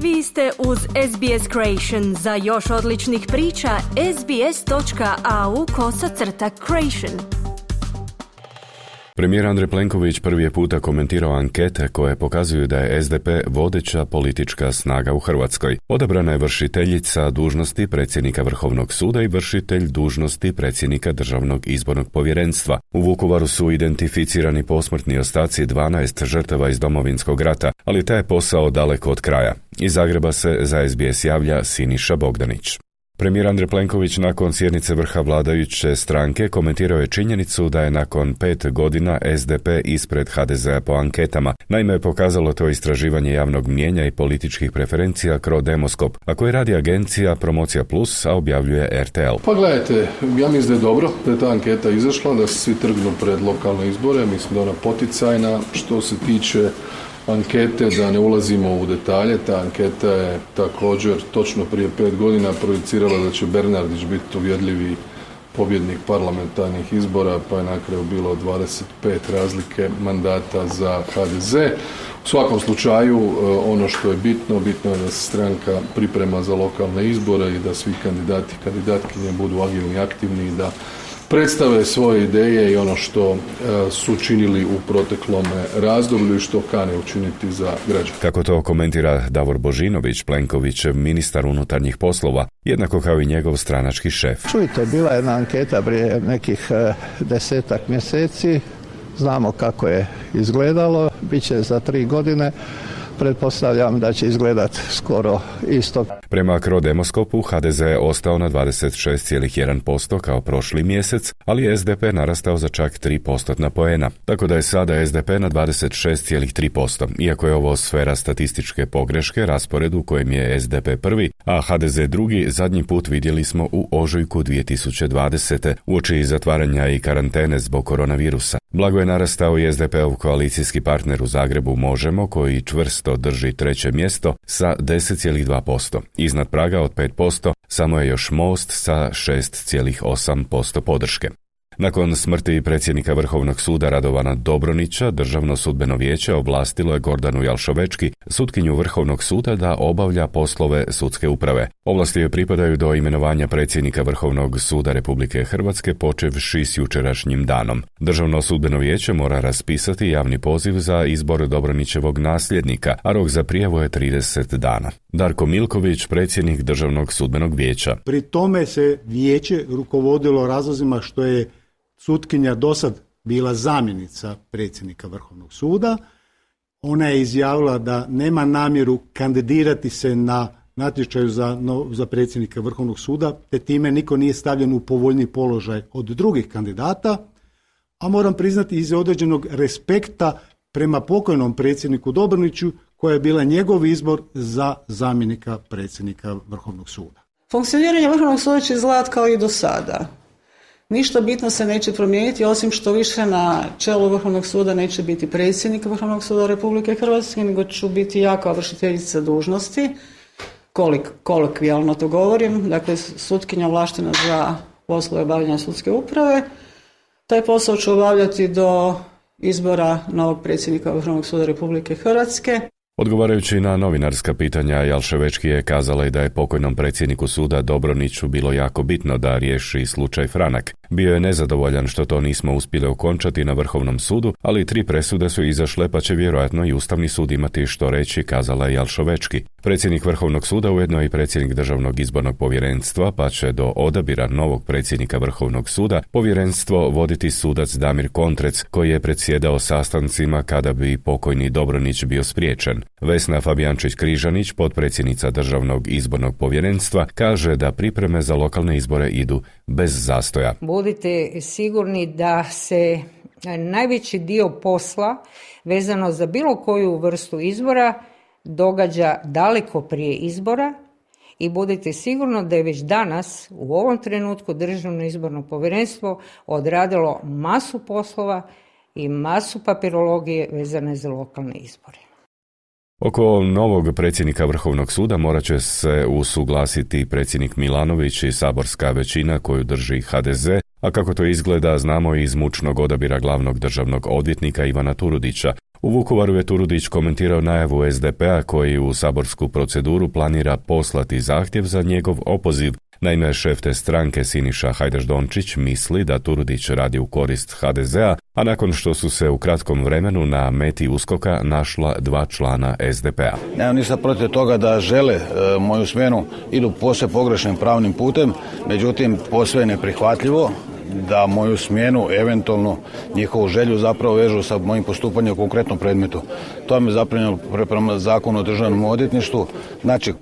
Vi ste uz SBS Creation. Za još odličnih priča, sbs.au/creation. Premijer Andrej Plenković prvi je puta komentirao ankete koje pokazuju da je SDP vodeća politička snaga u Hrvatskoj. Odabrana je vršiteljica dužnosti predsjednika Vrhovnog suda i vršitelj dužnosti predsjednika Državnog izbornog povjerenstva. U Vukovaru su identificirani posmrtni ostaci 12 žrtava iz Domovinskog rata, ali taj je posao daleko od kraja. Iz Zagreba se za SBS javlja Siniša Bogdanić. Premijer Andrej Plenković nakon sjednice vrha vladajuće stranke komentirao je činjenicu da je nakon 5 godina SDP ispred HDZ-a po anketama. Naime, je pokazalo to istraživanje javnog mnijenja i političkih preferencija Crodemoskop, a koje radi agencija Promocija Plus, a objavljuje RTL. Pa gledajte, ja mislim da je dobro da je ta anketa izašla, da se svi trgnu pred lokalne izbore, mislim da je ona poticajna. Što se tiče ankete, da ne ulazimo u detalje, ta anketa je također točno prije 5 godina projicirala da će Bernardić biti uvjerljivi pobjednik parlamentarnih izbora, pa je na kraju bilo 25 razlike mandata za HDZ. U svakom slučaju, ono što je bitno je da se stranka priprema za lokalne izbore i da svi kandidati i kandidatkinje budu agilni i aktivni i da predstave svoje ideje i ono što su činili u proteklom razdoblju i što kane učiniti za građane. Kako to komentira Davor Božinović, Plenkovićev ministar unutarnjih poslova, jednako kao i njegov stranački šef. Čujte, bila je jedna anketa prije nekih 10 mjeseci, znamo kako je izgledalo, bit će za 3 godine. Pretpostavljam da će izgledati skoro isto. Prema Crodemoskopu HDZ je ostao na 26,1% kao prošli mjesec, ali je SDP narastao za čak 3% poena. Tako da je sada SDP na 26,3%, iako je ovo sfera statističke pogreške, raspored u kojem je SDP prvi, a HDZ drugi, zadnji put vidjeli smo u ožujku 2020. uoči zatvaranja i karantene zbog koronavirusa. Blago je narastao i SDP-ov koalicijski partner u Zagrebu Možemo, koji čvrsto drži 3. mjesto sa 10,2%. Iznad praga od 5% samo je još Most sa 6,8% podrške. Nakon smrti predsjednika Vrhovnog suda Radovana Dobronića, Državno sudbeno vijeće ovlastilo je Gordanu Jalšovečki, sutkinju Vrhovnog suda, da obavlja poslove sudske uprave. Ovlasti joj pripadaju do imenovanja predsjednika Vrhovnog suda Republike Hrvatske počevši s jučerašnjim danom. Državno sudbeno vijeće mora raspisati javni poziv za izbor Dobronićevog nasljednika, a rok za prijavu je 30 dana. Darko Milković, predsjednik Državnog sudbenog vijeća. Pri tome se vijeće rukovodilo razlozima što je sutkinja dosad bila zamjenica predsjednika Vrhovnog suda. Ona je izjavila da nema namjeru kandidirati se na natječaju za predsjednika Vrhovnog suda, te time niko nije stavljen u povoljniji položaj od drugih kandidata, a moram priznati iz određenog respekta prema pokojnom predsjedniku Dobroniću, koja je bila njegov izbor za zamjenika predsjednika Vrhovnog suda. Funkcioniranje Vrhovnog suda će izgledati kao i do sada. Ništa bitno se neće promijeniti, osim što više na čelu Vrhovnog suda neće biti predsjednik Vrhovnog suda Republike Hrvatske, nego ću biti ja kao vršiteljica dužnosti, kolokvijalno to govorim, dakle sutkinja ovlaštena za poslove obavljanja sudske uprave. Taj posao ću obavljati do izbora novog predsjednika Vrhovnog suda Republike Hrvatske. Odgovarajući na novinarska pitanja, Jalševečki je kazala i da je pokojnom predsjedniku suda Dobroniću bilo jako bitno da riješi slučaj Franak. Bio je nezadovoljan što to nismo uspjeli okončati na Vrhovnom sudu, ali 3 presude su izašle, pa će vjerojatno i Ustavni sud imati što reći, kazala je Jalševečki. Predsjednik Vrhovnog suda ujedno i predsjednik Državnog izbornog povjerenstva, pa će do odabira novog predsjednika Vrhovnog suda povjerenstvo voditi sudac Damir Kontrec, koji je predsjedao sastancima kada bi pokojni Dobronić bio spriječen. Vesna Fabijančić-Križanić, potpredsjednica Državnog izbornog povjerenstva, kaže da pripreme za lokalne izbore idu bez zastoja. Budite sigurni da se najveći dio posla vezano za bilo koju vrstu izbora događa daleko prije izbora i budite sigurni da je već danas u ovom trenutku Državno izborno povjerenstvo odradilo masu poslova i masu papirologije vezane za lokalne izbore. Oko novog predsjednika Vrhovnog suda morat će se usuglasiti predsjednik Milanović i saborska većina koju drži HDZ, a kako to izgleda znamo iz mučnog odabira glavnog državnog odvjetnika Ivana Turudića. U Vukovaru je Turudić komentirao najavu SDP-a koji u saborsku proceduru planira poslati zahtjev za njegov opoziv. Naime, šef te stranke Siniša Hajdaš-Dončić misli da Turudić radi u korist HDZ-a, a nakon što su se u kratkom vremenu na meti USKOK-a našla 2 člana SDP-a. Nemam ništa protiv toga da žele moju smjenu, idu posve pogrešnim pravnim putem, međutim posve je neprihvatljivo da moju smjenu, eventualno njihovu želju zapravo vežu sa mojim postupanjem u konkretnom predmetu. To me zapravo prema zakonu o državnom odvjetništvu, znači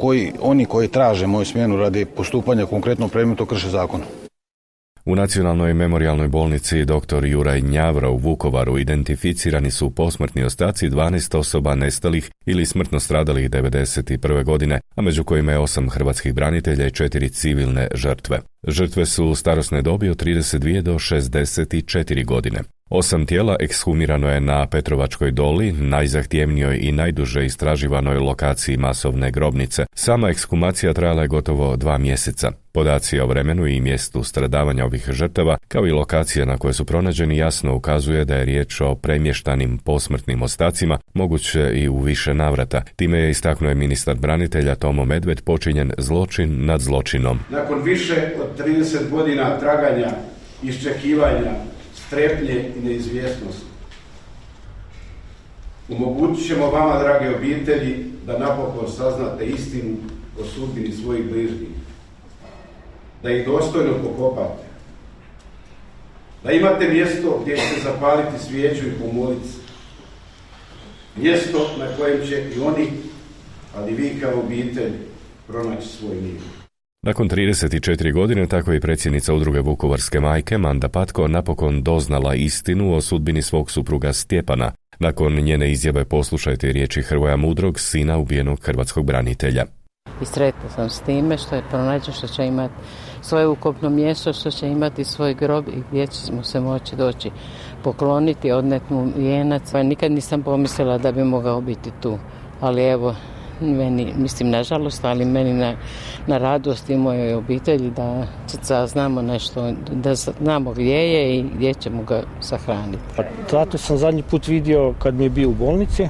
oni koji traže moju smjenu radi postupanja u konkretnom predmetu krše zakon. U Nacionalnoj memorijalnoj bolnici dr. Juraj Njavro u Vukovaru identificirani su posmrtni ostaci 12 osoba nestalih ili smrtno stradalih 1991. godine, a među kojima je 8 hrvatskih branitelja i 4 civilne žrtve. Žrtve su starosne dobi od 32 do 64 godine. 8 tijela ekshumirano je na Petrovačkoj doli, najzahtjevnijoj i najduže istraživanoj lokaciji masovne grobnice. Sama ekshumacija trajala je gotovo 2 mjeseca. Podaci o vremenu i mjestu stradavanja ovih žrtava, kao i lokacija na koje su pronađeni, jasno ukazuje da je riječ o premještanim posmrtnim ostacima, moguće i u više navrata. Time je istaknuo ministar branitelja Tomo Medved počinjen zločin nad zločinom. Nakon više od 30 godina traganja, iščekivanja, strepnje i neizvjesnosti, omogućit ćemo vama, drage obitelji, da napokon saznate istinu o sudbini svojih bližnjih, da ih dostojno pokopate, da imate mjesto gdje ćete zapaliti svijeću i pomoliti se, mjesto na kojem će i oni, ali vi kao obitelj, pronaći svoj mir. Nakon 34 godine, tako je predsjednica udruge Vukovarske majke, Manda Patko, napokon doznala istinu o sudbini svog supruga Stjepana. Nakon njene izjave poslušajte riječi Hrvoja Mudrog, sina ubijenog hrvatskog branitelja. I sretna sam s time što je pronađen, što će imati svoje ukopno mjesto, što će imati svoj grob i gdje ćemo se moći doći pokloniti, odneti mu vijenac. Nikad nisam pomislila da bi mogao biti tu, ali evo, meni, mislim nažalost, ali meni na radost i mojoj obitelji da saznamo nešto, da znamo gdje je i gdje ćemo ga sahraniti. Tatu sam zadnji put vidio kad mi je bio u bolnici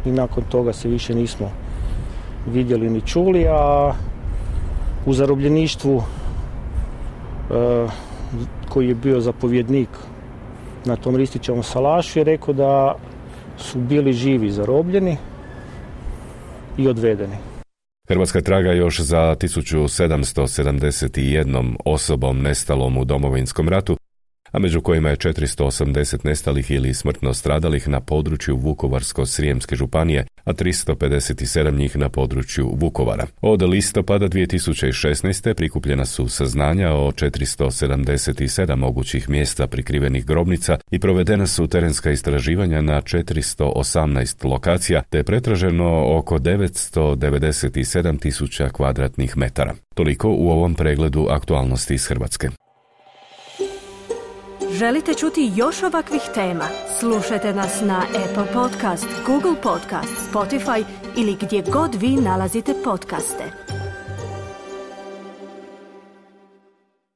i nakon toga se više nismo vidjeli ni čuli, a u zarobljeništvu koji je bio zapovjednik na tom Ristićevom salašu je rekao da su bili živi zarobljeni i odvedeni. Hrvatska traga još za 1771 osobom nestalom u Domovinskom ratu, a među kojima je 480 nestalih ili smrtno stradalih na području Vukovarsko-srijemske županije, a 357 njih na području Vukovara. Od listopada 2016. prikupljena su saznanja o 477 mogućih mjesta prikrivenih grobnica i provedena su terenska istraživanja na 418 lokacija, te pretraženo oko 997.000 kvadratnih metara. Toliko u ovom pregledu aktualnosti iz Hrvatske. Želite čuti još ovakvih tema? Slušajte nas na Apple Podcast, Google Podcast, Spotify ili gdje god vi nalazite podcaste.